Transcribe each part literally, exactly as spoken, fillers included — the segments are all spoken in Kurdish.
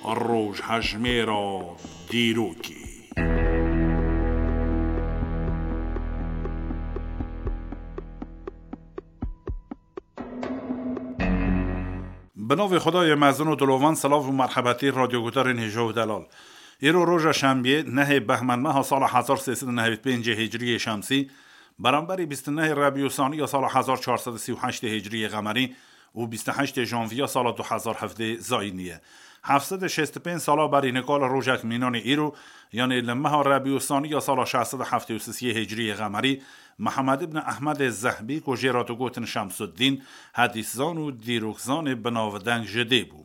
Rojhejmêra dîrokê. Bi navê Xwedayê mezin û dilovan, silav û merhebetî radyoguhdarên hêja û delal. Îro roja şembiyê, nehê behmên meha sala hezar sê sed û nehevî pêncê hicriyê şemsî, beramberî bîst û nehê rebî û saniya sala hezar çar sed û sî û heştê hicriyê qemerî û bîst û heştê janviya sala du hezar hevdê zayînî ye. Heft sed û şêst û pênc sala berî nika li rojek mînanê îro, yanê li meha rebî û saniya sala şeş sed û heftê û sisiyê hicriyê qemerî, Mihemed ibn Ehmedê Zehbî, ku jê re digotin Şemsuddîn, hedîszan û dîrokzanê binavdeng ji dê bû.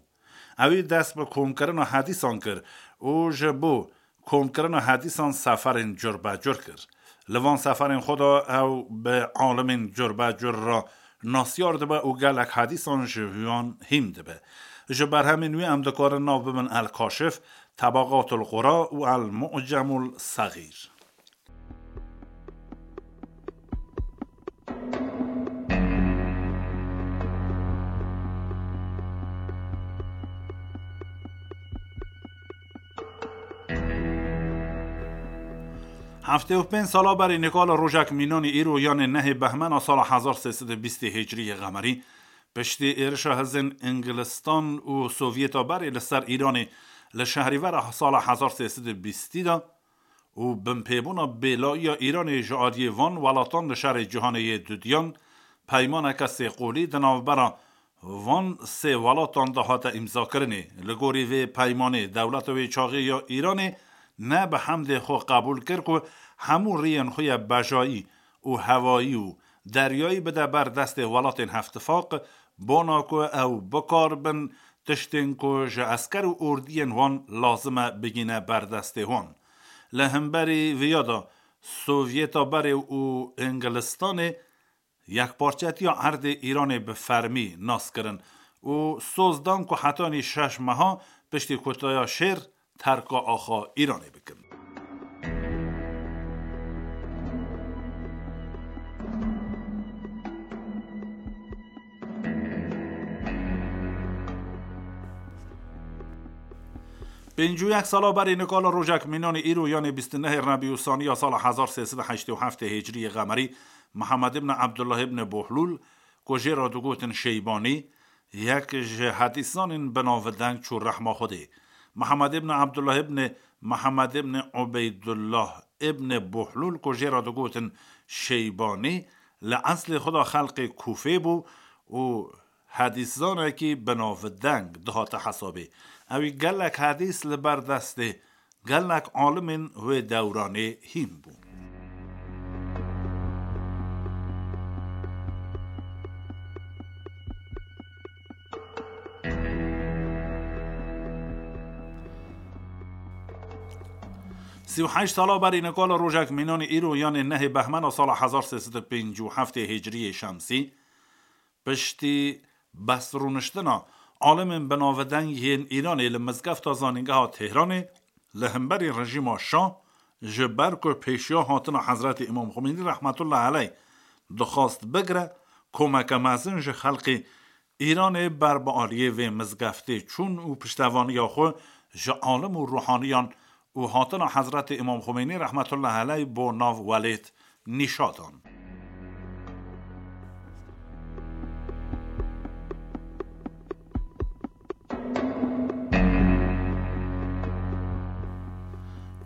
Ewî dest bi komkirina hedîsan kir û ji bo komkirina hedîsan seferên curbecur kir. Li van seferên xwe de ew bi alimên curbecur re nasyar dibe û gelek hedîsan ji wan hîm dibe. Ji berhemên wî em dikarin nav bibin El Kaşif, Tebaqatul Qura û El Mu'cemul Sexîr. Heftê û pênc sala berî nika li rojek mînanî îro, yanê nehê behmena sala hezar sê sed û bîstê hicriyê qemerî, piştî êrişa hizên Îngilistan û Sovyeta berê li ser Îranê li şehrîvera sala hezar sê sed û bîstî de, û binpêbûna bêlayiya Îranê ji aliyê van welatan li şerê cîhanê yê dudiyan, peymaneke sêqolî di navbera van sê welatan de hate îmzakirinê. Li gorî vê peymanê, dewleta wê çaxê ya Îranê ne bi hemdê xwe qebûl kir ku hemû rêyên xwe ya bejayî û hewayî û deryayî bide ber destê welatên Hevtifaq, bona ku ew bikarbin tiştên ku ji esker û ordiyên wan lazim e bigîne ber destê wan. Li hemberî viya de Sovyeta berê û Îngilistanê yekparçetiya erdê Îranê bi fermî nas kirin û soz dan ku hetanî şeş meha piştî kutaya şêr terka axa Îranê bikin. Pêncî û yek sala berî nika li rojek mînanê îro, yanê bîst û nehê Rebî û Saniya sala hezar sê sed û heştê û heft hicriyê qemerî, Mihemed ibn Ebdullah ibn Bohlûl, ku jê re digotin Şeybanî, yek ji hedîsanên binavdeng çû rehma Xwedê. Mihemed ibn Ebdullah ibn Mihemed ibn Ubeydullah ibn Bohlûl, ku jê re digotin Şeybanî, li eslê xwe de xelqê Kûfê bû û hedîszanekî binavdeng dihate hesabê. Ewî gelek hedîs li ber destê gelek alimên wê dewranê hîn bûn. Sî û heşt sala berî nika li rojek mînanê îro, yanê nehê behmena sala hezar sê sed û pêncî û heftê hicriyê şemsî, piştî bestrûniştina alimên binavdeng yên Îranê li Mizgefta Zanîngeha Tehranê, li hemberî rejîma Şah, ji ber ku pêşiya hatina Hezretî Îmam Xumênî rehmetullah eleyh dixwast bigire, komeke mezin ji xelkê Îranê ber bi aliyê vê mizgeftê çûn û piştevaniya xwe ji alim û ruhaniyan û hatina Hezretî Îmam Xumênî rehmetullah eleyh bo nav welêt nîşa dan.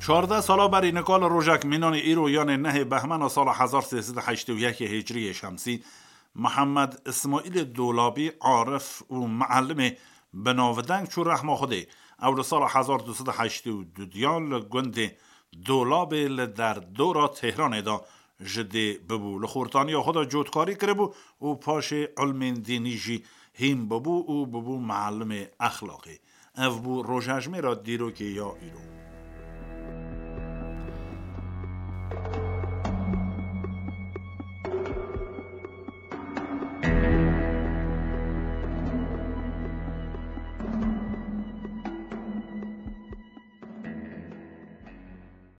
Çardeh sala berî nika li rojek mînanê îro, yanê nehê behmena sala hezar sê sed û heştê û yekê hicriyê şemsî, Mihemed Îsmaîlê Dolabî, arif û mielimê binavdeng çû rehma Xwedê. Ew li sala hezar du sed û heştê û du diya li gundê Dolabê li derdora Tehranê de ji dê bibû. Li xortaniya xwe de cotkarî kiribû û paşê ilmên dînî jî hîn bibû û bibû mielimê exlaqê. Ev bû rojhejmêra dîrokê ya îro.